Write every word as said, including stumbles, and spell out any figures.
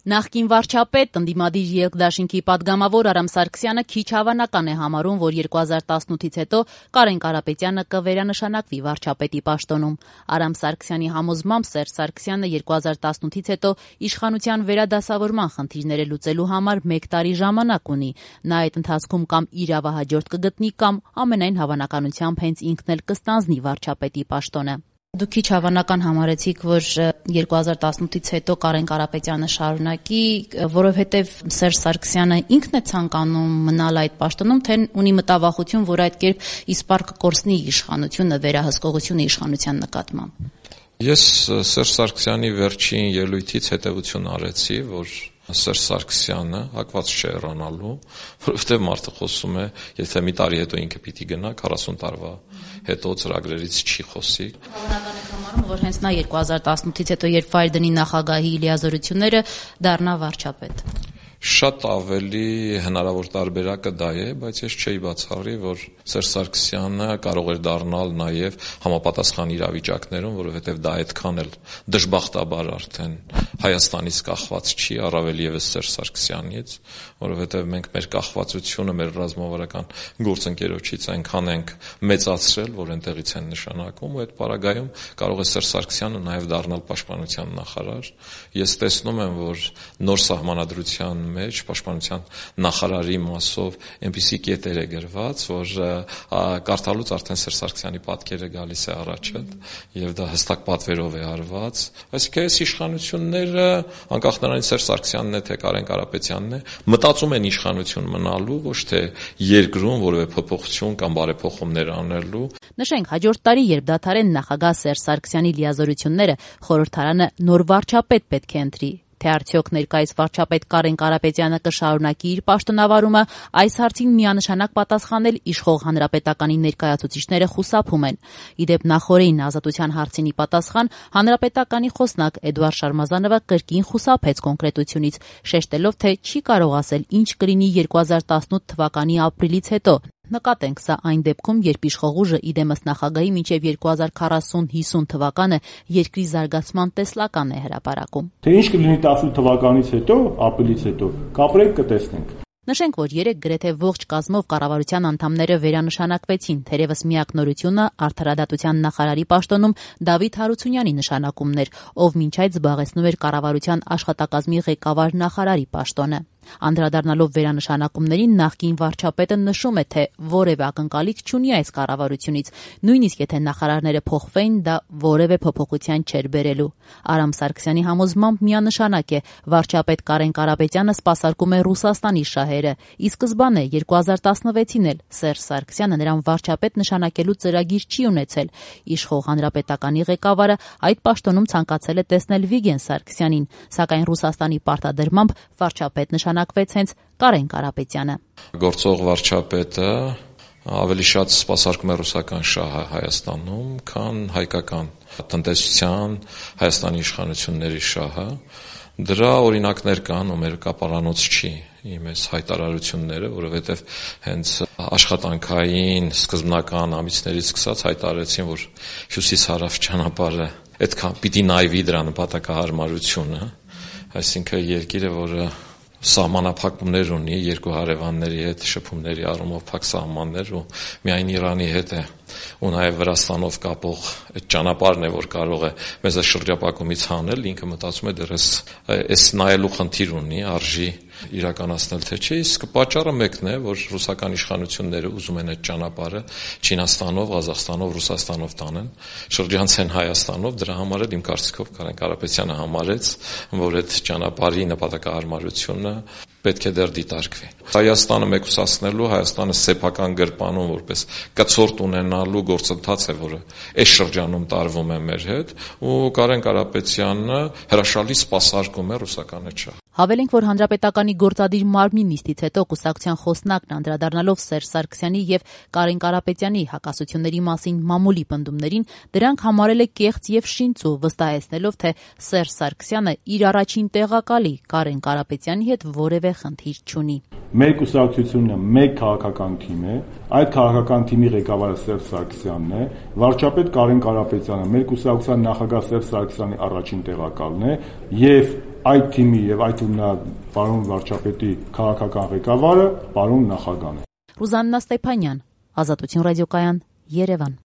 Նախկին վարչապետ, ընդդիմադիր երկդաշինքի պատգամավոր Արամ Սարգսյանը քիչ հավանական է համարում, որ երկու հազար տասնութից հետո Կարեն Կարապետյանը կվերանշանակվի վարչապետի պաշտոնում։ Արամ Սարգսյանի համոզմամբ Սերժ Սարգսյանը երկու հազար տասնութից հետո իշխանության վերադասավորման խնդիրները լուծելու համար մեկ տարի ժամանակ ունի։ Նա այդ ընթացքում կամ իրավահաջորդ կգտնի, կամ ամենայն հավանականությամբ հենց ինքն էլ կստանձնի վարչապետի պաշտոնը։ Դուք քիչ հավանական համարեցիք, որ երկու հազար տասնութից հետո Կարեն Կարապետյանը շարունակի, որովհետև Սերժ Սարգսյանը ինքն է ցանկանում մնալ այդ պաշտոնում, թե ունի մտավախություն, որ այդ կերպ իսպառ կկորցնի իշխանությունը, վերահսկողությունը իշխանության նկատմամբ։ Ես Սերժ Սարգսյանի վերջին ելույթից հետևություն արեցի, որ Սերժ Սարգսյանը հակված չէ հեռանալու, որովհետև մարդը խոսում է, եթե մի տարի հետո ինքը պիտի գնա, քառասուն տարվա հետո ծրագրերից չի խոսի։ Հավանական եք համարում, որ հենց նա երկու հազար տասնութից հետո, երբ վայր դնի նախագահի լիազորությունները, դառնա վարչապետ։ Շատ ավելի հնարավոր տարբերակը դա է, բայց ես չէի բացառի, որ Սերժ Սարգսյանը կարող էր դառնալ նաև համապատասխան իրավիճակներում, որովհետև դա այդքան էլ դժբախտաբար արդեն Հայաստանից կախված չի, առավել ևս Սերժ Սարգսյանից, որովհետև մենք մեր կախվածությունը մեր ռազմավարական գործընկերոջից այնքան ենք մեծացրել, որ այնտեղից են նշանակում, ու այդ պարագայում կարող է Սերժ Սարգսյանը նաև դառնալ պաշտպանության նախարար։ Ես տեսնում եմ, որ նոր սահմանադրության մեջ պաշտպանության նախարարի մասով այնպիսի կետեր է գրված, որ կարդալուց արդեն Սերժ Սարգսյանի պատկերը գալիս է առաջ եւ դա հստակ պատվերով է արված։ Այսինքն այս իշխանությունները, անկախ նրանից Սերժ Սարգսյանն է թե Կարեն Կարապետյանն է, մտածում են իշխանություն մնալու, ոչ թե երկրում որևէ փոփոխություն կամ բարեփոխումներ անելու։ Նշենք, հաջորդ տարի, երբ դադարեն նախագահ Սերժ Սարգսյանի լիազորությունները, խորհրդարանը նոր վարչապետ պետք է ընտրի։ Թե արդյոք ներկայիս վարչապետ Կարեն Կարապետյանը կշարունակի իր պաշտոնավարումը, այս հարցին միանշանակ պատասխանել իշխող հանրապետականի ներկայացուցիչները խուսափում են։ Իդեպ նախօրեին ազատության հարցինի պատասխան հանրապետականի խոսնակ Էդուարդ Շարմազանովը կրկին խուսափեց կոնկրետությունից, շեշտելով, թե չի կարող ասել ինչ կլինի երկու հազար տասնութ թվականի ապրիլից հետո։ Նկատենք, սա այն դեպքում, երբ իշխող ուժը իդեմս նախագահի մինչև երկու հազար քառասուն հիսուն թվականը երկրի զարգացման տեսլական է հրապարակում։ Թե ինչ կլինի տասնութ թվականից հետո, ապրիլից հետո, կապրենք, կտեսնենք։ Նշենք, որ երեք գրեթե ողջ կազմով կառավարության անդամները վերանշանակվեցին, թերևս միակ նորությունը արդարադատության նախարարի պաշտոնում Դավիթ Հարությունյանի նշանակումն էր, ով մինչ այդ զբաղեցնում էր կառավարության աշխատակազմի ղեկավար նախարարի պաշտոնը։ Անդրադառնալով վերանշանակումներին, նախկին վարչապետը նշում է, թե որևէ ակնկալիք չունի այս կառավարությունից, նույնիսկ եթե նախարարները փոխվեն, դա որևէ փոփոխության չէր բերելու։ Արամ Սարգսյանի համոզմամբ միանշանակ է, վարչապետ Կարեն Կարապետյանը սպասարկում է Ռուսաստանի շահերը։ Ի սկզբանե երկու հազար տասնվեցին էլ Սերժ Սարգսյանը նրան վարչապետ նշանակելու ծրագիր չի ունեցել։ Իշխող հանրապետականի ղեկավարը այդ պաշտոնում ցանկացել է տեսնել Վիգեն Սարգսյանին, սակայն Ռուսաստանի պարտադրմամբ վարչապետ նշանակվեց հենց Կարեն Կարապետյանը։ Գործող վարչապետը ավելի շատ սպասարկում է ռուսական շահը Հայաստանում, քան հայկական տնտեսության, Հայաստանի իշխանությունների շահը։ Դրա օրինակներ կան, ու մեր կապարանոց չի իմ այս հայտարարությունները, որովհետև հենց աշխատանքային սկզբնական ամիսներից սկսած հայտարարեցին, որ հյուսիս-հարավ ճանապարհը այդքան պիտի նայվի դրա նպատակահարմարությունը, այսինքն երկիրը, որը սահմանափակումներ ունի երկու հարևանների հետ, շփումների առումով փակ սահմաններ, ու միայն Իրանի հետ է, ու նաև Վրաստանով կապող այդ ճանապարհն է, որ կարող է մեզ այս շրջապակումից հանել, ինքը մտածում է դեռ այս նայելու խնդիր ունի, արժի իրականացնել թե չէ, իսկ պատճառը մեկն է, որ ռուսական իշխանությունները ուզում են այդ ճանապարհը Չինաստանով, Ղազախստանով, Ռուսաստանով տանեն, շրջանցեն Հայաստանով, դրա համար էլ իմ կարծիքով Կարեն Կարապետյանը համարեց, որ այդ ճանապարհի նպատակահարմարությունը պետք է դեռ դիտարկվի։ Հայաստանը մեկուսացնելու, Հայաստանը սեփական գրպանում որպես կցորդ ունենալու գործընթաց է, որը այս շրջանում տարվում է մեր հետ, ու Կարեն Կարապետյանը հրաշալի սպասարկում է ռուսական այդ շահը։ Հավելենք, որ հանրապետականի գործադիր մարմնի նիստից հետո կուսակցության խոսնակն անդրադառնալով Սերժ Սարգսյանի եւ Կարեն Կարապետյանի հակասությունների մասին մամուլի պնդումներին, դրանք համարել է կեղծ եւ շինծու, վստահեցնելով, թե Սերժ Սարգսյանը իր առաջին տեղակալի Կարեն Կարապետյանի հետ որևէ խնդիր չունի։ Մեր կուսակցությունը մեկ քաղաքական թիմ է, այդ քաղաքական թիմի ղեկավարը Սերժ Սարգսյանն է, վարչապետ Կարեն Կարապետյանը մեր կուսակցության նախագահ Սերժ Սարգսյանի առաջին տեղակալն է եւ այդ թիմի եւ այդ ումնա պարոն վարչապետի քաղաքական ղեկավարը պարոն նախագահն է։ Ռուզաննա Ստեփանյան, Ազատություն ռադիոկայան, Երևան։